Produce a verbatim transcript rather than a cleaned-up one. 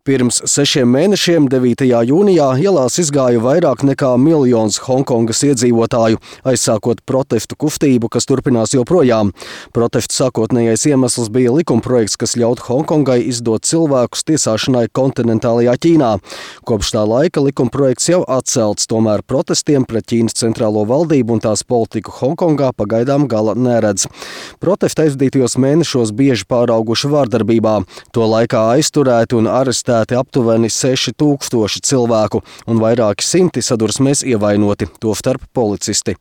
Pirms sešiem mēnešiem, devītajā jūnijā, ielās izgāja vairāk nekā miljons Honkongas iedzīvotāju, aizsākot protestu kustību, kas turpinās joprojām. Protestu sākotnējais iemesls bija likumprojekts, kas ļautu Honkongai izdot cilvēkus tiesāšanai kontinentālajā Ķīnā. Kopš tā laika likumprojekts jau atcelts, tomēr protestiem pret Ķīnas centrālo valdību un tās politiku Honkongā pagaidām gala neredz. Protesti aizdītajos mēnešos bieži pārauguši vārdarbībā. To laikā aizturēti un arestēti aptuveni seši tūkstoši cilvēku un vairāki simti sadursmēs ievainoti, tostarp policisti.